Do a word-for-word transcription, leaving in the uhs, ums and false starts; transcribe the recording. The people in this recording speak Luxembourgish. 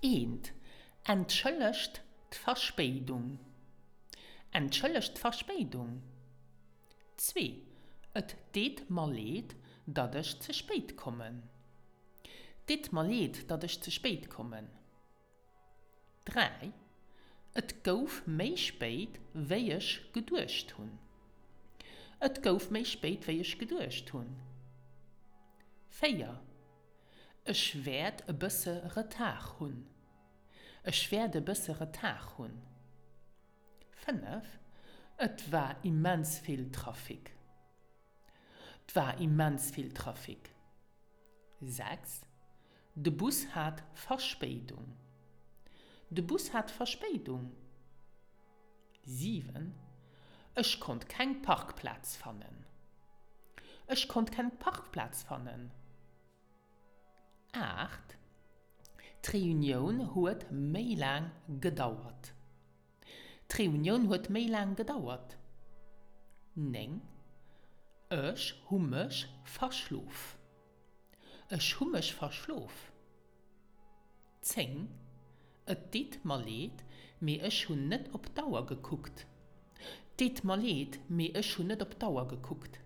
Eent, Entschëllegt d'Verspéidung. Entschëllegt d'Verspéidung. Zwee, Et deet mer leed, datt ech ze spéit kommen. Deet mer leed, datt ech ze spéit kommen. Dräi, Et gouf méi spéit, wéi ech geduecht hunn. Et gouf méi spéit, wéi ech geduecht hunn. Véier, Ech wäert e bësse Retard hunn. Ech wäert e bësse Retard hunn. Fënnef, Et war immens vill Trafic. 't war immens vill Trafic. Sechs, De Bus hat Verspéidung. De Bus hat Verspéidung. Siwen, Ech konnt keng Parkplaz fannen. Ech konnt keng Parkplaz fannen. Aacht, D'Reunioun huet méi laang gedauert. D'Reunioun huet méi laang gedauert. Néng, Ech hu mech verschlof. Ech hu mech verschlof. Zéng, Et deet mer leed, mee ech hunn net op d'Auer gekuckt. Deet mer leed, mee ech hunn net op d'Auer gekuckt.